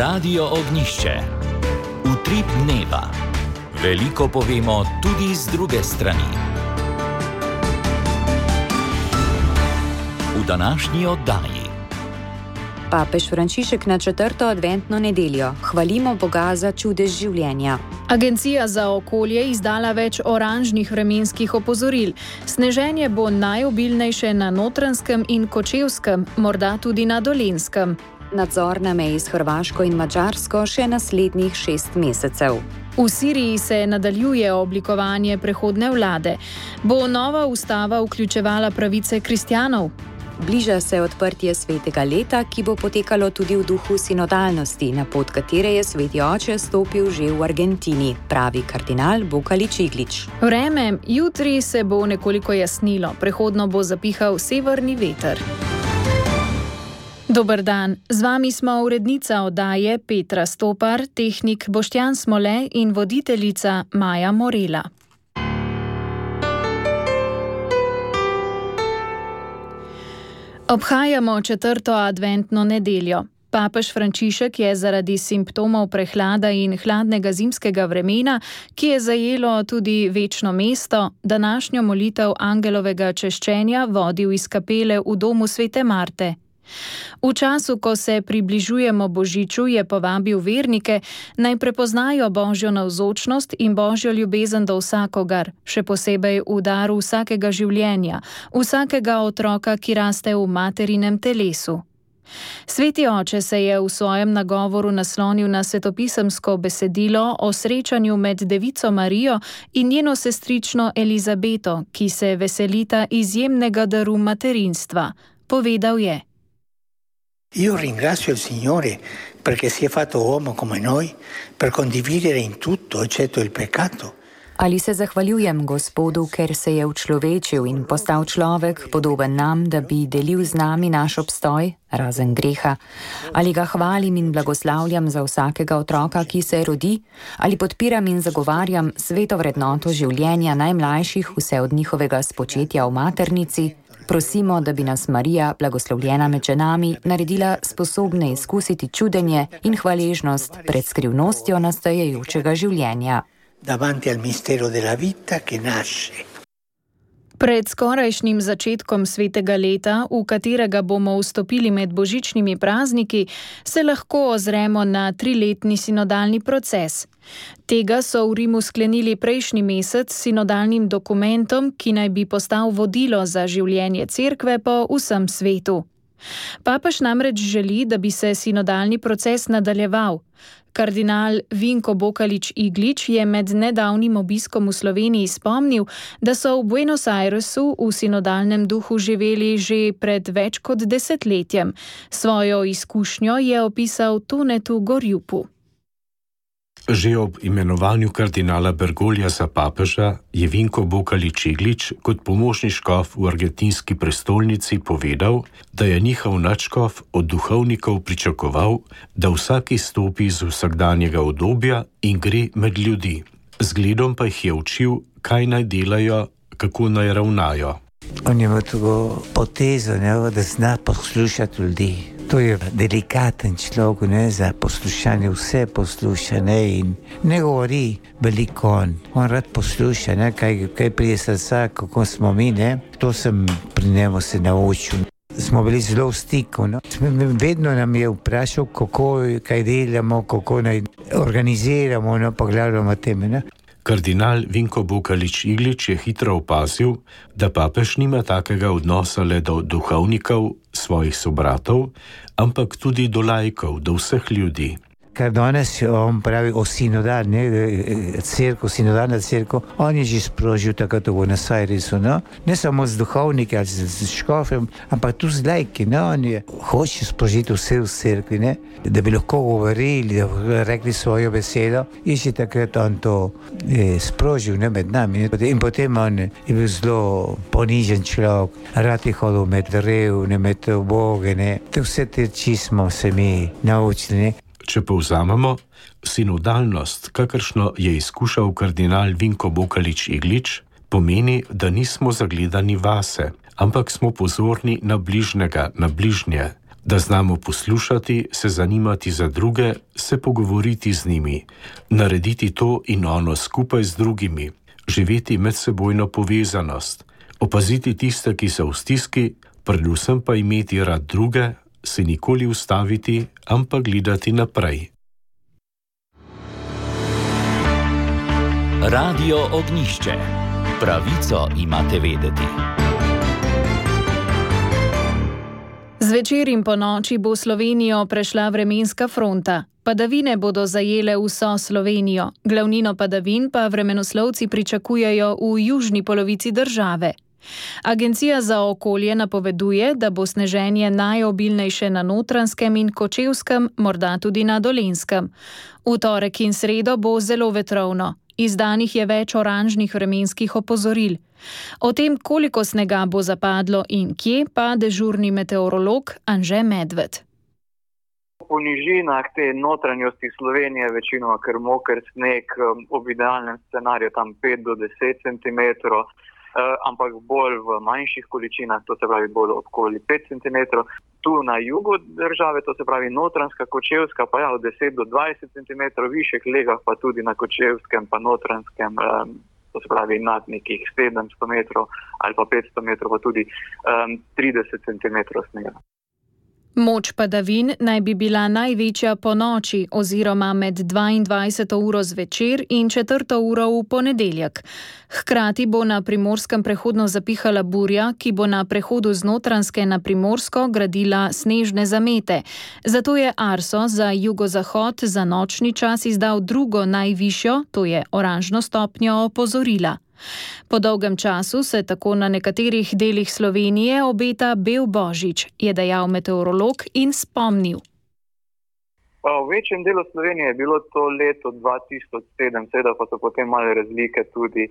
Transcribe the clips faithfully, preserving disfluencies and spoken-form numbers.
Radio Ognjišče. Utrip dneva. Veliko povemo tudi z druge strani. V današnji oddaji. Papež Frančišek na četrto adventno nedeljo. Hvalimo Boga za čudež življenja. Agencija za okolje izdala več oranžnih vremenskih opozoril. Sneženje bo najobilnejše na Notranjskem in Kočevskem, morda tudi na Dolenjskem. Nadzor na meji s Hrvaško in Madžarsko še naslednjih šest mesecev. V Siriji se nadaljuje oblikovanje prehodne vlade. Bo nova ustava vključevala pravice kristjanov? Bliža se odprtje svetega leta, ki bo potekalo tudi v duhu sinodalnosti, na pot katere je sveti oče stopil že v Argentini, pravi kardinal Bukalič Iglič. Vreme, jutri se bo nekoliko jasnilo, prehodno bo zapihal severni veter. Dober dan, z vami smo urednica oddaje Petra Stopar, tehnik Boštjan Smole in voditeljica Maja Morela. Obhajamo četrto adventno nedeljo. Papež Frančišek je zaradi simptomov prehlada in hladnega zimskega vremena, ki je zajelo tudi večno mesto, današnjo molitev angelovega češčenja vodil iz kapele v domu svete Marte. V času, ko se približujemo Božiču, je povabil vernike, naj prepoznajo Božjo navzočnost in Božjo ljubezen do vsakogar, še posebej v daru vsakega življenja, vsakega otroka, ki raste v materinem telesu. Sveti oče se je v svojem nagovoru naslonil na svetopisemsko besedilo o srečanju med Devico Marijo in njeno sestrično Elizabeto, ki se veselita izjemnega daru materinstva. Povedal je: Io ringrazio il Signore perché si è fatto uomo come noi per condividere in tutto eccetto il peccato. Ali se zahvaljujem Gospodu, ker se je učlovečil in postal človek, podoben nam, da bi delil z nami naš obstoj, razen greha? Ali ga hvalim in blagoslavljam za vsakega otroka, ki se rodi? Ali podpiram in zagovarjam sveto vrednoto življenja najmlajših, vse od njihovega spočetja v maternici? Prosimo, da bi nas Marija, blagoslovljena med ženami, naredila sposobne izkusiti čudenje in hvaležnost pred skrivnostjo nastajajočega življenja. Davanti al mistero della vita che nasce. Pred skorajšnjim začetkom svetega leta, v katerega bomo vstopili med božičnimi prazniki, se lahko ozremo na triletni sinodalni proces. Tega so v Rimu sklenili prejšnji mesec s sinodalnim dokumentom, ki naj bi postal vodilo za življenje cerkve po vsem svetu. Papež namreč želi, da bi se sinodalni proces nadaljeval. Kardinal Vinko Bukalič Iglič je med nedavnim obiskom v Sloveniji spomnil, da so v Buenos Airesu v sinodalnem duhu živeli že pred več kot desetletjem. Svojo izkušnjo je opisal Tonetu Gorjupu. Že ob imenovanju kardinala Bergoglja za papeža je Vinko Bukalič Iglič kot pomožni škof v argentinski prestolnici povedal, da je njihov nadškof od duhovnikov pričakoval, da vsak izstopi iz vsakdanjega udobja in gre med ljudi. Zgledom pa jih je učil, kaj naj delajo, kako naj ravnajo. On je imel tako potezo, ne, da zna poslušati ljudi. To je delikaten človek, ne, za poslušanje, vse posluša, ne, in ne govori veliko on. On rad posluša, ne, kaj, kaj prije srca, kako smo mi, ne. To sem pri njemu se naučil. Smo bili zelo v stiku, no. Vedno nam je vprašal, kako, kaj delamo, kako naj organiziramo, no, pogledamo teme, ne. Kardinal Vinko Bukalič Iglič je hitro opazil, da papež nima takega odnosa le do duhovnikov, svojih sobratov, ampak tudi do laikov, do vseh ljudi. Kar danes on pravi o sinodalni cerkev, sinodalna cerkev, on je že sprožil takrat v Buenos Airesu, no? Ne samo z duhovniki ali z škofem, ampak tudi z laiki, no? On je hoče sprožiti vse v cerkvi, ne? Da bi lahko govorili, da bi rekli svojo besedo, in že takrat on to je sprožil, ne, med nami, ne? In potem on je bil zelo ponižen človek, rad je hodil med revne, med uboge, ne? Vse te čismo se mi naučili, ne? Če povzamemo, sinodalnost, kakršno je izkušal kardinal Vinko Bukalič Iglič, pomeni, da nismo zagledani vase, ampak smo pozorni na bližnjega, na bližnje, Da znamo poslušati, se zanimati za druge, se pogovoriti z njimi, narediti to in ono skupaj z drugimi, živeti medsebojno povezanost, opaziti tiste, ki so v stiski, predvsem pa imeti rad druge, se nikoli ustaviti, ampak gledati naprej. Radio Ognjišče. Pravico imate vedeti. Zvečer in po noči bo Slovenijo prešla vremenska fronta. Padavine bodo zajele vso Slovenijo, glavnino padavin pa vremenoslovci pričakujejo v južni polovici države. Agencija za okolje napoveduje, da bo sneženje najobilnejše na Notranjskem in Kočevskem, morda tudi na Dolenjskem. V torek in sredo bo zelo vetrovno. Izdanih je več oranžnih vremenskih opozoril. O tem, koliko snega bo zapadlo in kje, pa dežurni meteorolog Anže Medved. Po nižinah te notranjosti Slovenije večinoma kar moker sneg, ob idealnem scenariju tam pet do deset centimetrov, ampak bolj v manjših količinah, to se pravi bolj okoli pet centimetrov. Tu na jugu države, to se pravi Notranjska, Kočevska, pa ja, od deset do dvajset centimetrov, višjih legah pa tudi na Kočevskem pa Notranjskem, to se pravi nad nekih sedemsto metrov ali pa petsto metrov, pa tudi um, trideset centimetrov snega. Moč padavin naj bi bila največja po noči oziroma med dvaindvajseto uro zvečer in četrto uro v ponedeljek. Hkrati bo na Primorskem prehodno zapihala burja, ki bo na prehodu z Notranjske na Primorsko gradila snežne zamete. Zato je Arso za jugozahod za nočni čas izdal drugo najvišjo, to je oranžno stopnjo opozorila. Po dolgem času se tako na nekaterih delih Slovenije obeta bel božič, je dejal meteorolog in spomnil. V večjem delu Slovenije je bilo to leto dva tisoč sedem, seveda pa so potem male razlike tudi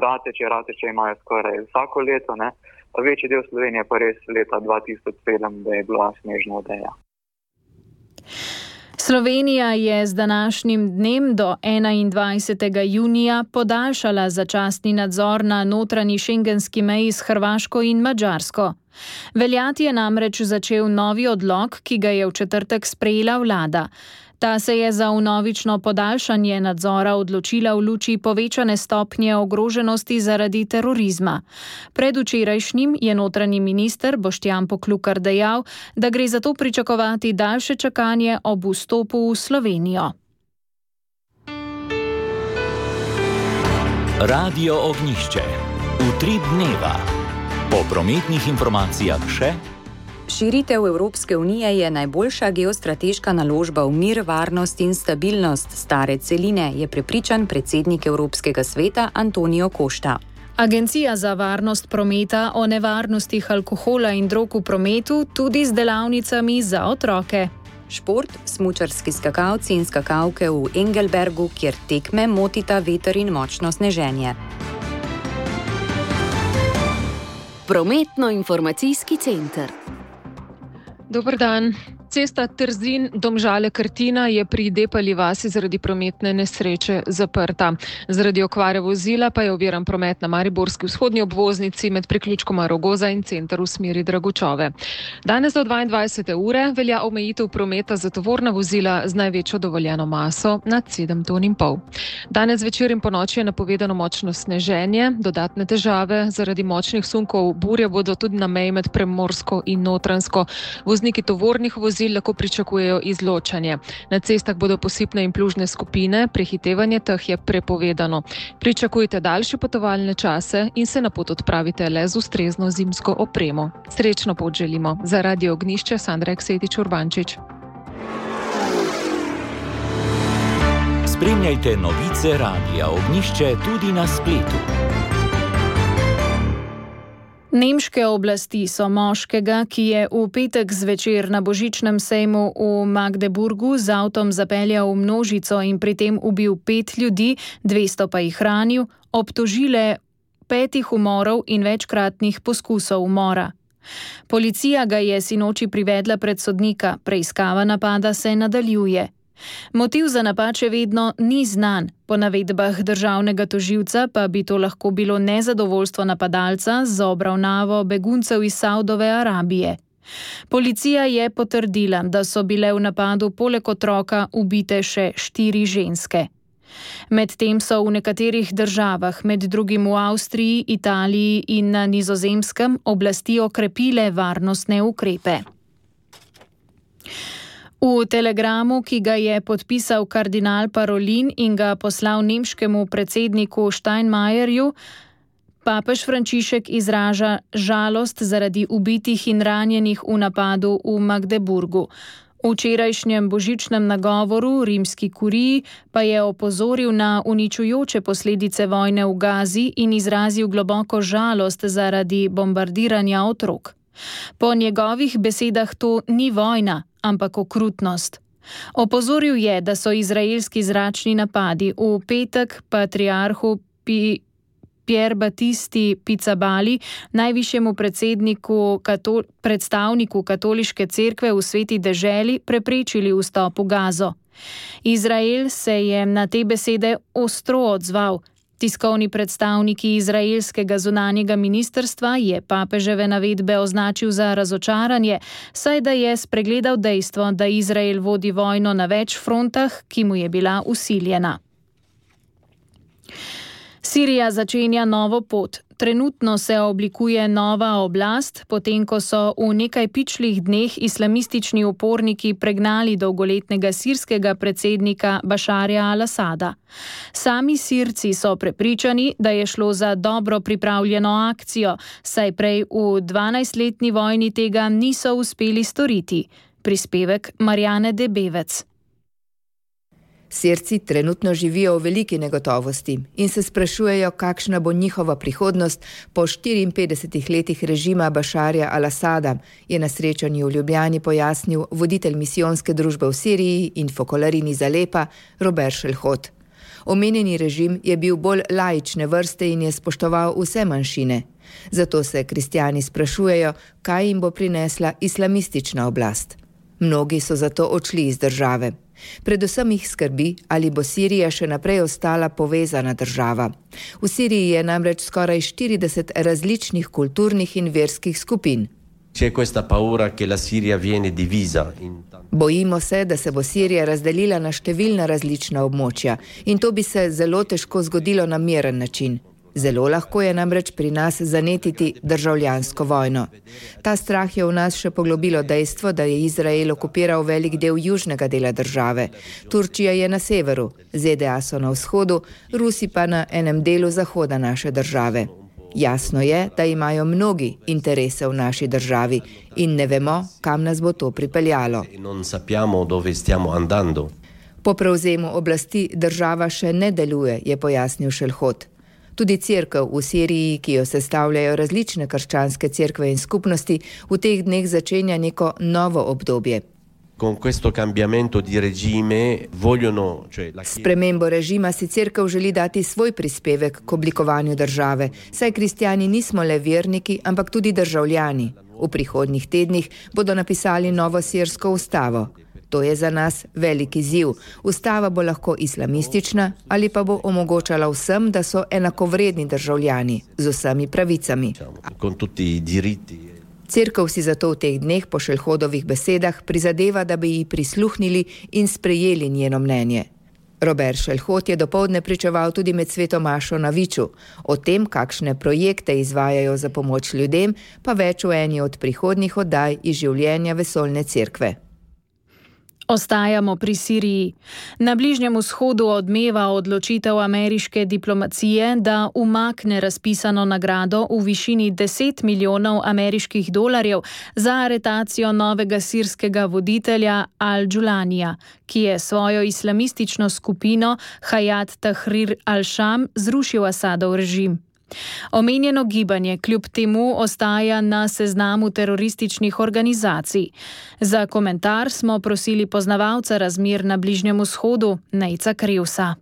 Rateče, Rateče imajo skoraj vsako leto, ne? Večji del Slovenije pa res leta dva tisoč sedem, da je bila snežna odeja. Slovenija je z današnjim dnem do enaindvajsetega junija podaljšala začasni nadzor na notranji šengenski meji s Hrvaško in Madžarsko. Veljati je namreč začel novi odlok, ki ga je v četrtek sprejela vlada. Ta se je za vnovično podaljšanje nadzora odločila v luči povečane stopnje ogroženosti zaradi terorizma. Predvčerajšnjim je notranji minister Boštjan Poklukar dejal, da gre zato pričakovati daljše čakanje ob vstopu v Slovenijo. Radio Ognjišče. Utrip dneva. Po prometnih informacijah še. Širitev Evropske unije je najboljša geostrateška naložba v mir, varnost in stabilnost stare celine, je prepričan predsednik Evropskega sveta Antonijo Košta. Agencija za varnost prometa o nevarnostih alkohola in drog v prometu tudi z delavnicami za otroke. Šport, smučarski skakalci in skakalke v Engelbergu, kjer tekme motita veter in močno sneženje. Prometno-informacijski center. Dober dan. Cesta Trzin-Domžale-Krtina je pri Depali vasi zaradi prometne nesreče zaprta. Zaradi okvare vozila pa je oviran promet na mariborski vzhodni obvoznici med priključkoma Rogoza in Center v smeri Dragočove. Danes do dvaindvajsete ure velja omejitev prometa za tovorna vozila z največjo dovoljeno maso nad sedem ton in pol. Danes večer in ponoči je napovedano močno sneženje, dodatne težave zaradi močnih sunkov burje bodo tudi na meji med Primorsko in Notranjsko. Vozniki tovornih vozil lahko pričakujejo izločanje. Na cestah bodo posipne in plužne skupine, prehitevanje teh je prepovedano. Pričakujte daljše potovalne čase in se na pot odpravite le z ustrezno zimsko opremo. Srečno pot želimo. Za Radio Ognjišče Sandra Eksetič-Urbančič. Spremljajte novice Radia Ognjišče tudi na spletu. Nemške oblasti so moškega, ki je v petek zvečer na božičnem sejmu v Magdeburgu z avtom zapeljal v množico in pri tem ubil pet ljudi, dvesto pa jih ranil, obtožile petih umorov in večkratnih poskusov umora. Policija ga je sinoči privedla pred sodnika, preiskava napada se nadaljuje. Motiv za napad še vedno ni znan. Po navedbah državnega tožilca pa bi to lahko bilo nezadovoljstvo napadalca z obravnavo beguncev iz Saudove Arabije. Policija je potrdila, da so bile v napadu poleg otroka ubite še štiri ženske. Medtem so v nekaterih državah, med drugim v Avstriji, Italiji in na Nizozemskem, oblasti okrepile varnostne ukrepe. V telegramu, ki ga je podpisal kardinal Parolin in ga poslal nemškemu predsedniku Steinmeierju, papež Frančišek izraža žalost zaradi ubitih in ranjenih v napadu v Magdeburgu. V včerajšnjem božičnem nagovoru rimski kuriji pa je opozoril na uničujoče posledice vojne v Gazi in izrazil globoko žalost zaradi bombardiranja otrok. Po njegovih besedah to ni vojna, ampak okrutnost. Opozoril je, da so izraelski zračni napadi v petek patriarhu Pi Pier Battisti Pizzabali, najvišjemu predsedniku, katol, predstavniku katoliške cerkve v Sveti deželi, preprečili vstop v Gazo. Izrael se je na te besede ostro odzval. Tiskovni predstavniki izraelskega zunanjega ministrstva je papeževe navedbe označil za razočaranje, saj da je spregledal dejstvo, da Izrael vodi vojno na več frontah, ki mu je bila vsiljena. Sirija začenja novo pot. Trenutno se oblikuje nova oblast, potem ko so v nekaj pičlih dneh islamistični uporniki pregnali dolgoletnega sirskega predsednika Bašarja al-Asada. Sami Sirci so prepričani, da je šlo za dobro pripravljeno akcijo, saj prej v dvanajstletni vojni tega niso uspeli storiti. Prispevek Marjane Debevec. Sirci trenutno živijo v veliki negotovosti in se sprašujejo, kakšna bo njihova prihodnost po štiriinpetdesetih letih režima Bašarja al-Asada, je na srečanju v Ljubljani pojasnil voditelj misijonske družbe v Siriji in Fokolarini Zalepa Robert Šelhot. Omenjeni režim je bil bolj laične vrste in je spoštoval vse manjšine. Zato se kristjani sprašujejo, kaj jim bo prinesla islamistična oblast. Mnogi so zato odšli iz države. Predvsem jih skrbi, ali bo Sirija še naprej ostala povezana država. V Siriji je namreč skoraj štirideset različnih kulturnih in verskih skupin. Bojimo se, da se bo Sirija razdelila na številna različna območja in to bi se zelo težko zgodilo na miren način. Zelo lahko je namreč pri nas zanetiti državljansko vojno. Ta strah je v nas še poglobilo dejstvo, da je Izrael okupiral velik del južnega dela države. Turčija je na severu, Z D A so na vzhodu, Rusi pa na enem delu zahoda naše države. Jasno je, da imajo mnogi interese v naši državi in ne vemo, kam nas bo to pripeljalo. Po prevzemu oblasti država še ne deluje, je pojasnil Šelhot. Tudi cerkev v Siriji, ki jo sestavljajo različne krščanske cerkve in skupnosti, v teh dneh začenja neko novo obdobje. S spremembo režima si cerkev želi dati svoj prispevek k oblikovanju države, saj kristjani nismo le verniki, ampak tudi državljani. V prihodnjih tednih bodo napisali novo sirsko ustavo. To je za nas veliki izziv. Ustava bo lahko islamistična ali pa bo omogočala vsem, da so enakovredni državljani z vsemi pravicami. Cerkev si zato v teh dneh po Šelhodovih besedah prizadeva, da bi ji prisluhnili in sprejeli njeno mnenje. Robert Šelhot je dopoldne pričeval tudi med sveto mašo na Viču. O tem, kakšne projekte izvajajo za pomoč ljudem, pa več v eni od prihodnjih oddaj iz življenja vesoljne cerkve. Ostajamo pri Siriji. Na Bližnjem vzhodu odmeva odločitev ameriške diplomacije, da umakne razpisano nagrado v višini deset milijonov ameriških dolarjev za aretacijo novega sirskega voditelja Al-Julanija, ki je svojo islamistično skupino Hayat Tahrir al-Sham zrušil Asadov režim. Omenjeno gibanje kljub temu ostaja na seznamu terorističnih organizacij. Za komentar smo prosili poznavalca razmer na Bližnjem vzhodu, Nejca Krivsa.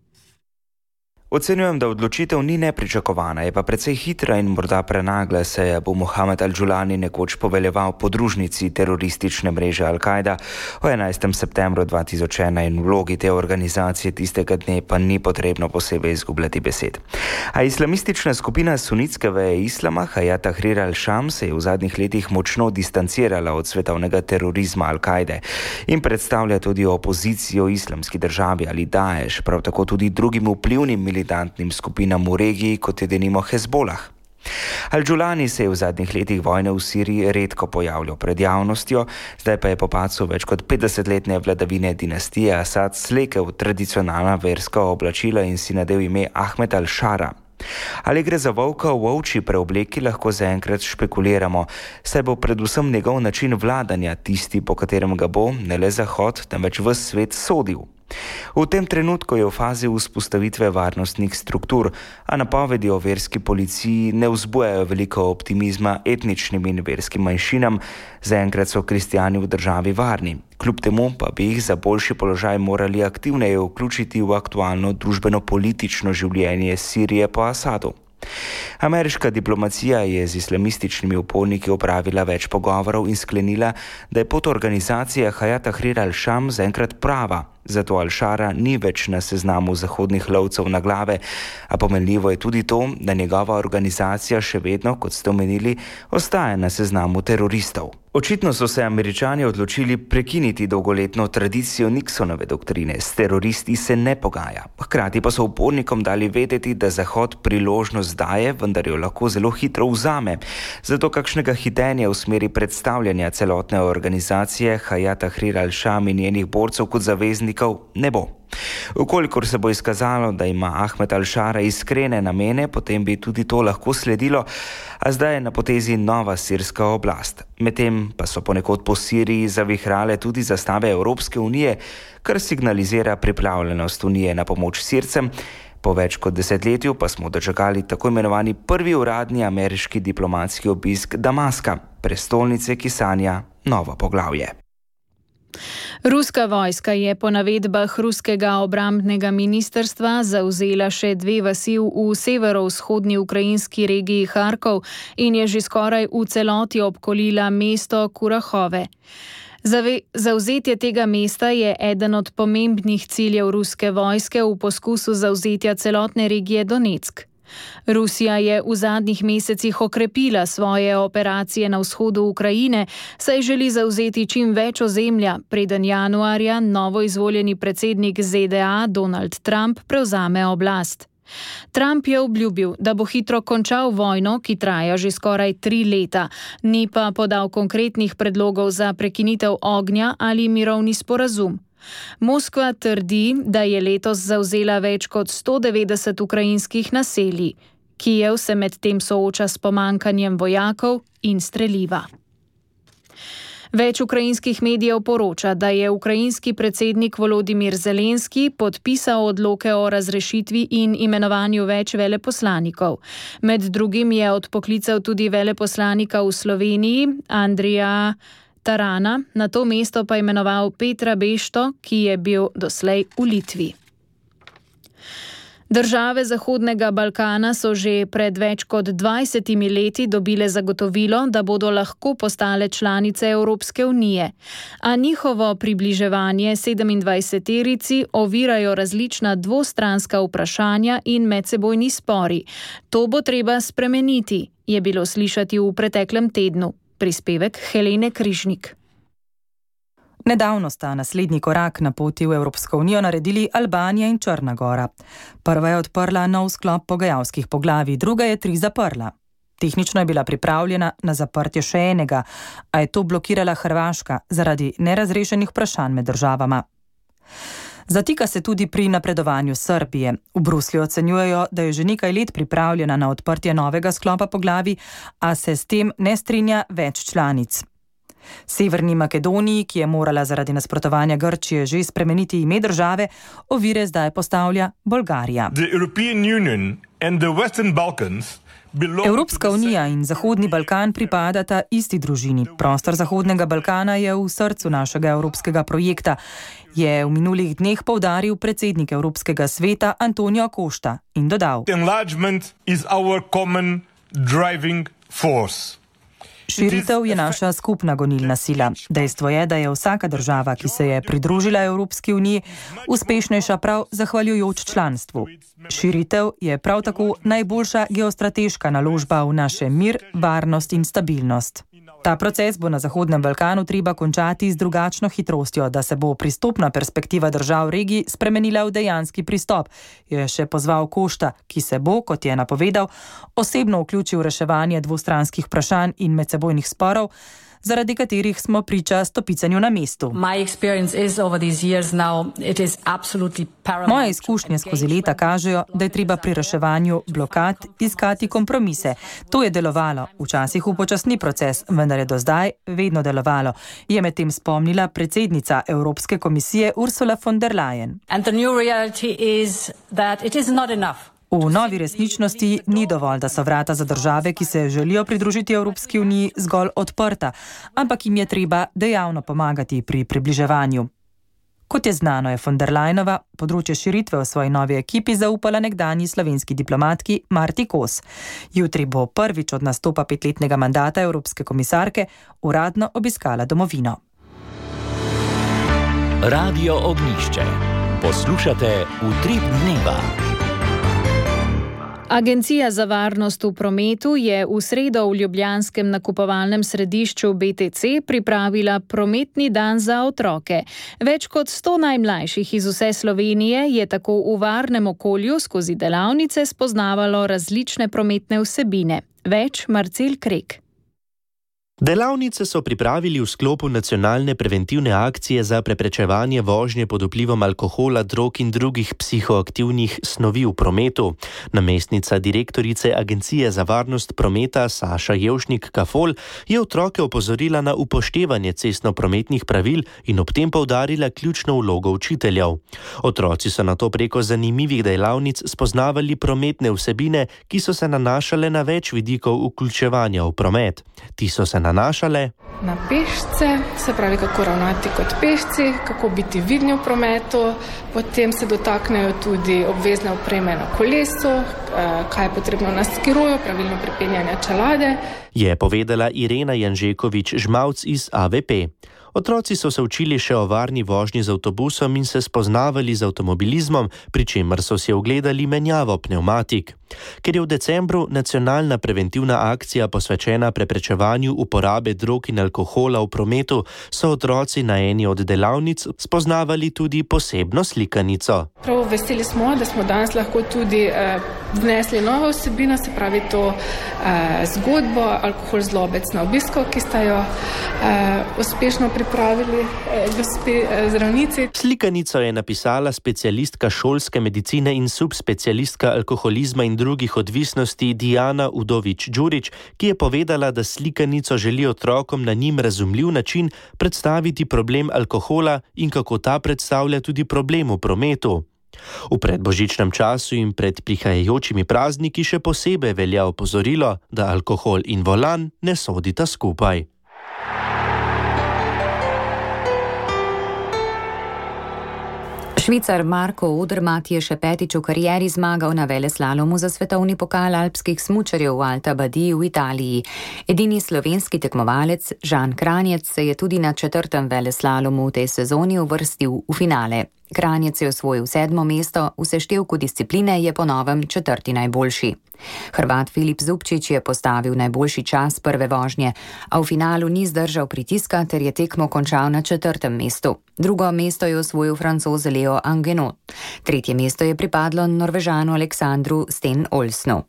Ocenjujem, da odločitev ni nepričakovana, je pa precej hitra in morda prenagla, saj bo Mohamed Al-Džulani nekoč poveljeval podružnici teroristične mreže Al-Kaida o enajstega septembra dva tisoč ena in vlogi te organizacije tistega dne pa ni potrebno posebej izgubljati besed. A islamistična skupina sunitske veje islama Hayat Tahrir al-Sham se je v zadnjih letih močno distancirala od svetovnega terorizma Al-Kaide in predstavlja tudi opozicijo islamski državi ali Daesh, prav tako tudi drugim vplivnim militantnim skupinam v regiji, kot je denimo Hezbolah. Al-Džulani se je v zadnjih letih vojne v Siriji redko pojavljal pred javnostjo, zdaj pa je po padcu več kot petdesetletne vladavine dinastije Asad slekel tradicionalna verska oblačila in si nadel ime Ahmed al-Shara. Ali gre za volka v ovčji preobleki, lahko zaenkrat špekuliramo, saj bo predvsem njegov način vladanja tisti, po katerem ga bo ne le Zahod, temveč ves svet sodil. V tem trenutku je v fazi vzpostavitve varnostnih struktur, a napovedi o verski policiji ne vzbujajo veliko optimizma etničnim in verskim manjšinam, zaenkrat so kristijani v državi varni. Kljub temu pa bi jih za boljši položaj morali aktivneje vključiti v aktualno družbeno-politično življenje Sirije po Asadu. Ameriška diplomacija je z islamističnimi uporniki opravila več pogovorov in sklenila, da je pot organizacije Hayat Tahrir al-Sham zaenkrat prava, zato Al-Shara ni več na seznamu zahodnih lovcev na glave, a pomenljivo je tudi to, da njegova organizacija še vedno, kot ste omenili, ostaja na seznamu teroristov. Očitno so se Američani odločili prekiniti dolgoletno tradicijo Nixonove doktrine, s teroristi se ne pogaja. Hkrati pa so upornikom dali vedeti, da Zahod priložnost daje, vendar jo lahko zelo hitro vzame. Zato kakšnega hitenja v smeri predstavljanja celotne organizacije Hayat Tahrir al-Sham in njenih borcev kot zaveznikov ne bo. Ukolikor se bo izkazalo, da ima Ahmed al-Shara iskrene namene, potem bi tudi to lahko sledilo, a zdaj je na potezi nova sirska oblast. Medtem pa so ponekod po Siriji zavihrale tudi zastave Evropske unije, kar signalizira pripravljenost unije na pomoč Sircem. Po več kot desetletju pa smo dočakali tako imenovani prvi uradni ameriški diplomatski obisk Damaska, prestolnice, ki sanja novo poglavje. Ruska vojska je po navedbah ruskega obrambnega ministrstva zavzela še dve vasi v severovzhodni ukrajinski regiji Harkov in je že skoraj v celoti obkolila mesto Kurahove. Zave, zavzetje tega mesta je eden od pomembnih ciljev ruske vojske v poskusu zavzetja celotne regije Donetsk. Rusija je v zadnjih mesecih okrepila svoje operacije na vzhodu Ukrajine, saj želi zavzeti čim več ozemlja, preden januarja novoizvoljeni predsednik Z D A Donald Trump prevzame oblast. Trump je obljubil, da bo hitro končal vojno, ki traja že skoraj tri leta, ni pa podal konkretnih predlogov za prekinitev ognja ali mirovni sporazum. Moskva trdi, da je letos zavzela več kot sto devetdeset ukrajinskih naselij. Kijev se medtem sooča s pomanjkanjem vojakov in streliva. Več ukrajinskih medijev poroča, da je ukrajinski predsednik Volodimir Zelenski podpisal odloke o razrešitvi in imenovanju več veleposlanikov. Med drugim je odpoklical tudi veleposlanika v Sloveniji, Andrija Tarana, na to mesto pa imenoval Petra Bešto, ki je bil doslej v Litvi. Države Zahodnega Balkana so že pred več kot dvajsetimi leti dobile zagotovilo, da bodo lahko postale članice Evropske unije, a njihovo približevanje sedemindvajseterici ovirajo različna dvostranska vprašanja in medsebojni spori. To bo treba spremeniti, je bilo slišati v preteklem tednu. Prispevek Helene Križnik. Nedavno sta naslednji korak na poti v Evropsko unijo naredili Albanija in Črna Gora. Prva je odprla nov sklop pogajalskih poglavij, druga je tri zaprla. Tehnično je bila pripravljena na zaprtje še enega, a je to blokirala Hrvaška zaradi nerazrešenih vprašanj med državama. Zatika se tudi pri napredovanju Srbije. V Bruslju ocenjujejo, da je že nekaj let pripravljena na odprtje novega sklopa poglavij, a se s tem ne strinja več članic. Severni Makedoniji, ki je morala zaradi nasprotovanja Grčije že spremeniti ime države, ovire zdaj postavlja Bolgarija. The European Union and the Western Balkans Evropska unija in Zahodni Balkan pripadata isti družini. Prostor Zahodnega Balkana je v srcu našega evropskega projekta, je v minulih dneh poudaril predsednik Evropskega sveta Antonio Costa in dodal: Širitev je naša skupna gonilna sila. Dejstvo je, da je vsaka država, ki se je pridružila Evropski uniji, uspešnejša prav zahvaljujoč članstvu. Širitev je prav tako najboljša geostrateška naložba v naše mir, varnost in stabilnost. Ta proces bo na Zahodnem Balkanu treba končati z drugačno hitrostjo, da se bo pristopna perspektiva držav regij spremenila v dejanski pristop, je še pozval Costa, ki se bo, kot je napovedal, osebno vključil v reševanje dvostranskih vprašanj in medsebojnih sporov, zaradi katerih smo priča stopicanju na mestu. Moje izkušnje skozi leta kažejo, da je treba pri reševanju blokad iskati kompromise. To je delovalo, včasih upočasni proces, vendar je do zdaj vedno delovalo, je medtem spomnila predsednica Evropske komisije Ursula von der Leyen. V novi resničnosti ni dovolj, da so vrata za države, ki se želijo pridružiti Evropski uniji, zgolj odprta, ampak jim je treba dejavno pomagati pri približevanju. Kot je znano, je von der Leyenova področje širitve v svoji novi ekipi zaupala nekdanji slovenski diplomatki Marti Kos. Jutri bo prvič od nastopa petletnega mandata Evropske komisarke uradno obiskala domovino. Radio Ognjišče. Poslušate Utrip dneva. Agencija za varnost v prometu je v sredo v ljubljanskem nakupovalnem središču B T C pripravila prometni dan za otroke. Več kot sto najmlajših iz vse Slovenije je tako v varnem okolju skozi delavnice spoznavalo različne prometne vsebine. Več Marcel Krek. Delavnice so pripravili v sklopu nacionalne preventivne akcije za preprečevanje vožnje pod vplivom alkohola, drog in drugih psihoaktivnih snovi v prometu. Namestnica direktorice Agencije za varnost prometa Saša Jevšnik-Kafol je otroke opozorila na upoštevanje cestno-prometnih pravil in ob tem poudarila ključno vlogo učiteljev. Otroci so nato preko zanimivih delavnic spoznavali prometne vsebine, ki so se nanašale na več vidikov vključevanja v promet. Ti so se nanašale na pešce, se pravi, kako ravnati kot pešci, kako biti vidni v prometu, potem se dotaknejo tudi obvezne opreme na kolesu, kaj je potrebno na skiroju, pravilno pripenjanje čelade. Je povedala Irena Janžekovič-Žmavc iz A V P. Otroci so se učili še o varni vožnji z avtobusom in se spoznavali z avtomobilizmom, pri čemer so si ogledali menjavo pnevmatik. Ker je v decembru nacionalna preventivna akcija posvečena preprečevanju uporabe drog in alkohola v prometu, so otroci na eni od delavnic spoznavali tudi posebno slikanico. Prav veseli smo, da smo danes lahko tudi eh, vnesli novo vsebino, se pravi to eh, zgodbo Alkohol zlobec na obisku, ki sta jo eh, uspešno pripravili eh, gospe eh, zdravnici. Slikanico je napisala specialistka šolske medicine in subspecialistka alkoholizma in drugih odvisnosti Diana Udovič-Đurić, ki je povedala, da slikanico želi otrokom na njim razumljiv način predstaviti problem alkohola in kako ta predstavlja tudi problem v prometu. V predbožičnem času in pred prihajajočimi prazniki še posebej velja opozorilo, da alkohol in volan ne sodita skupaj. Švicar Marko Odermatt je še petič v karieri zmagal na veleslalomu za svetovni pokal alpskih smučarjev v Alta Badiji v Italiji. Edini slovenski tekmovalec Žan Kranjec se je tudi na četrtem veleslalomu v tej sezoni uvrstil v finale. Kranjec je osvojil sedmo mesto, v seštevku discipline je po novem četrti najboljši. Hrvat Filip Zubčić je postavil najboljši čas prve vožnje, a v finalu ni zdržal pritiska ter je tekmo končal na četrtem mestu. Drugo mesto je osvojil Francoz Leo Angenot. Tretje mesto je pripadlo Norvežanu Aleksandru Sten-Olsnu.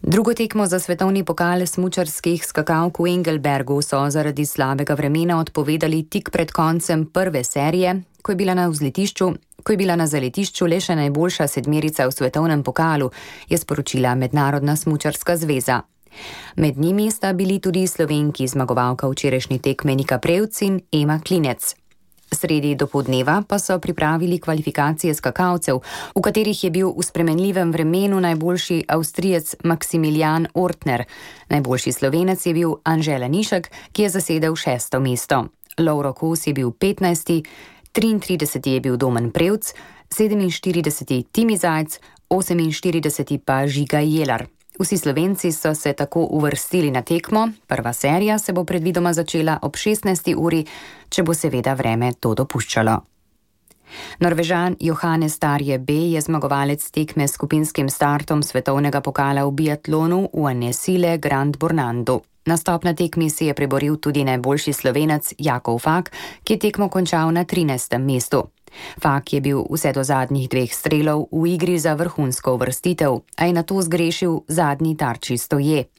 Drugo tekmo za svetovni pokal smučarskih skakalk v Engelbergu so zaradi slabega vremena odpovedali tik pred koncem prve serije, ko je bila na vzletišču, ko je bila na zaletišču le še najboljša sedmerica v svetovnem pokalu, je sporočila Mednarodna smučarska zveza. Med njimi sta bili tudi Slovenki, zmagovalka včerajšnje tekme Nika Prevc in Ema Klinec. Sredi dopoldneva pa so pripravili kvalifikacije skakalcev, v katerih je bil v spremenljivem vremenu najboljši Avstrijec Maximilian Ortner. Najboljši Slovenec je bil Anže Lanišek, ki je zasedel šesto mesto. Lovro Kos je bil petnajsti, triintrideseti je bil Domen Prevc, sedeminštirideseti Timi Zajc, oseminštirideseti pa Žiga Jelar. Vsi Slovenci so se tako uvrstili na tekmo, prva serija se bo predvidoma začela ob šestnajsti uri, če bo seveda vreme to dopuščalo. Norvežan Johannes Tarje B. je zmagovalec tekme s skupinskim startom svetovnega pokala v biatlonu v Annesile Grand Bornandu. Nastop na tekmi si je priboril tudi najboljši Slovenec Jakov Fak, ki je tekmo končal na trinajstem mestu. Fak je bil vse do zadnjih dveh strelov v igri za vrhunsko uvrstitev, a je nato zgrešil zadnji tarči stoje.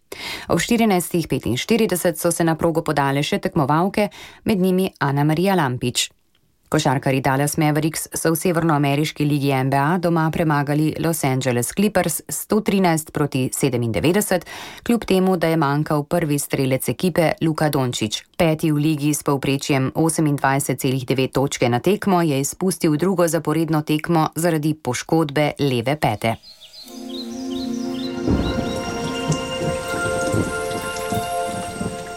Ob štirinajstih petinštirideset so se na progo podale še tekmovalke, med njimi Ana Marija Lampič. Košarkarji Dallas Mavericks so v severnoameriški ligi N B A doma premagali Los Angeles Clippers sto trinajst proti sedemindevetdeset, kljub temu, da je manjkal prvi strelec ekipe Luka Dončić. Peti v ligi s povprečjem osemindvajset celih devet točke na tekmo je izpustil drugo zaporedno tekmo zaradi poškodbe leve pete.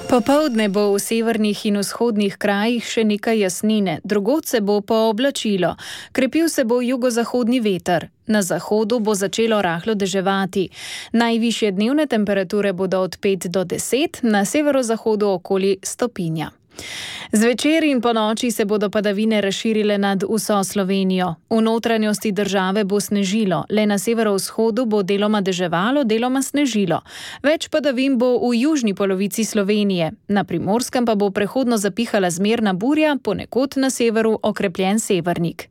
Popoldne bo v severnih in vzhodnih krajih še nekaj jasnine, drugod se bo pooblačilo. Krepil se bo jugozahodni veter. Na zahodu bo začelo rahlo deževati. Najvišje dnevne temperature bodo od pet do deset, na severozahodu okoli stopinja. Zvečer in po noči se bodo padavine razširile nad vso Slovenijo. V notranjosti države bo snežilo, le na severovzhodu bo deloma deževalo, deloma snežilo. Več padavin bo v južni polovici Slovenije, na Primorskem pa bo prehodno zapihala zmerna burja, ponekod na severu okrepljen severnik.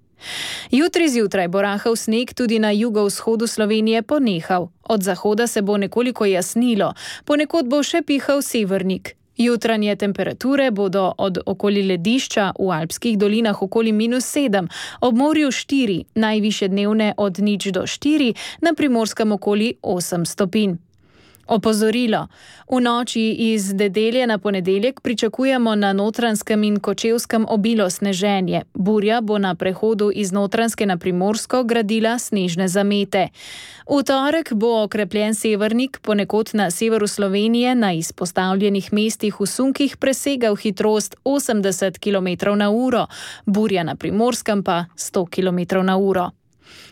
Jutri zjutraj bo rahel sneg tudi na jugovzhodu Slovenije ponehal. Od zahoda se bo nekoliko jasnilo, ponekod bo še pihal severnik. Jutranje temperature bodo od okoli ledišča v alpskih dolinah okoli minus sedem, ob morju štiri, najvišje dnevne od nič do štiri, na Primorskem okoli osem stopinj. Opozorilo. V noči iz nedelje na ponedeljek pričakujemo na Notranjskem in Kočevskem obilo sneženje. Burja bo na prehodu iz Notranjske na Primorsko gradila snežne zamete. V torek bo okrepljen severnik, ponekod na severu Slovenije na izpostavljenih mestih v sunkih presegal hitrost osemdeset kilometrov na uro, burja na Primorskem pa sto kilometrov na uro.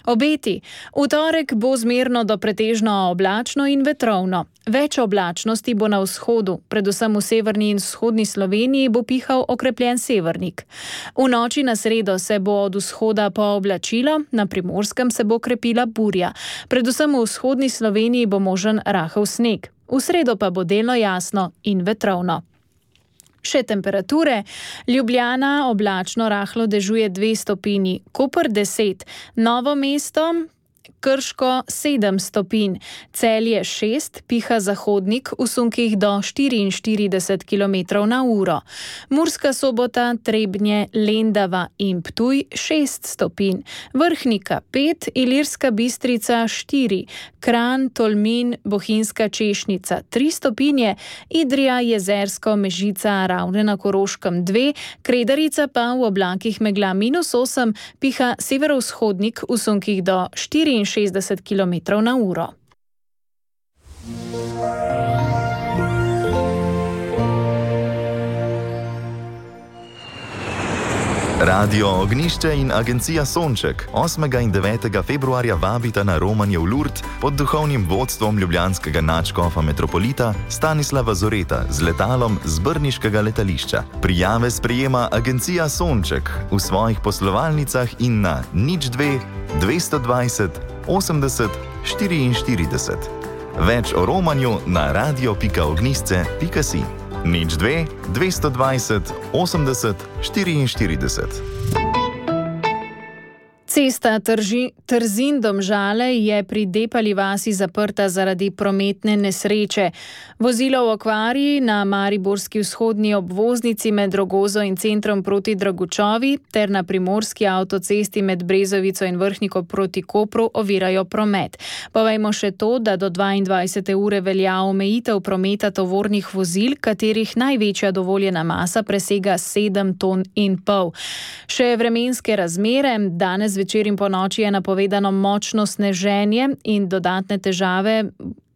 Obeti. V torek bo zmerno do pretežno oblačno in vetrovno. Več oblačnosti bo na vzhodu, predvsem v severni in vzhodni Sloveniji bo pihal okrepljen severnik. V noči na sredo se bo od vzhoda pooblačilo, na Primorskem se bo krepila burja. Predvsem v vzhodni Sloveniji bo možen rahel sneg. V sredo pa bo delno jasno in vetrovno. Še temperature. Ljubljana oblačno rahlo dežuje dve stopinji, Koper deset, Novo mesto, Krško sedem stopinj, Celje šest, piha zahodnik, v sunkih do štiriinštirideset kilometrov na uro. Murska Sobota, Trebnje, Lendava in Ptuj šest stopinj, Vrhnika pet, Ilirska Bistrica štiri, Kranj, Tolmin, Bohinjska Češnica tri stopinje, Idrija, Jezersko, Mežica, Ravne na Koroškem dve, Kredarica pa v oblakih megla minus osem, piha severovzhodnik v sunkih do štiriinšestdeset kilometrov na uro. Radio Ognišče in agencija Sonček osmega in devetega februarja vabita na romanje v Lourdes pod duhovnim vodstvom ljubljanskega nadškofa metropolita Stanislava Zoreta z letalom z brniškega letališča. Prijave sprejema agencija Sonček v svojih poslovalnicah in na nič dve dvesto dvajset osemdeset štiriinštirideset. Več o romanju na radio pika ognisce pika si. nič dve dvesto dvajset osemdeset štiriinštirideset. Cesta Trzin-Domžale je pri Depali vasi zaprta zaradi prometne nesreče. Vozilo v okvari na mariborski vzhodni obvoznici med Rogozo in centrom proti Dragučovi ter na primorski avtocesti med Brezovico in Vrhniko proti Kopru ovirajo promet. Povejmo še to, da do dvaindvajsete ure velja omejitev prometa tovornih vozil, katerih največja dovoljena masa presega sedem ton in pol. Še vremenske razmere. Danes večer in po noči je napovedano močno sneženje in dodatne težave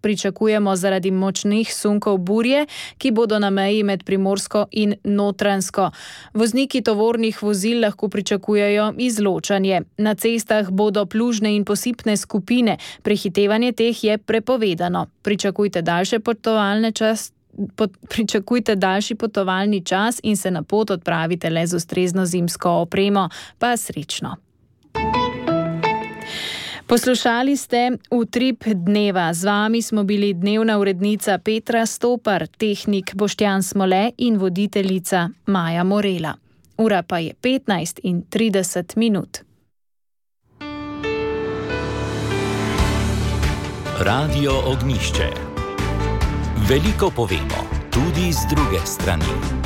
pričakujemo zaradi močnih sunkov burje, ki bodo na meji med Primorsko in Notranjsko. Vozniki tovornih vozil lahko pričakujejo izločanje. Na cestah bodo plužne in posipne skupine, prehitevanje teh je prepovedano. Pričakujte daljše potovalne čas. Pot, pričakujte daljši potovalni čas in se na pot odpravite le z ustrezno zimsko opremo. Pa srečno. Poslušali ste Utrip dneva. Z vami smo bili dnevna urednica Petra Stopar, tehnik Boštjan Smole in voditeljica Maja Morela. Ura pa je petnajst in trideset minut. Radio Ognjišče. Veliko povemo, tudi z druge strani.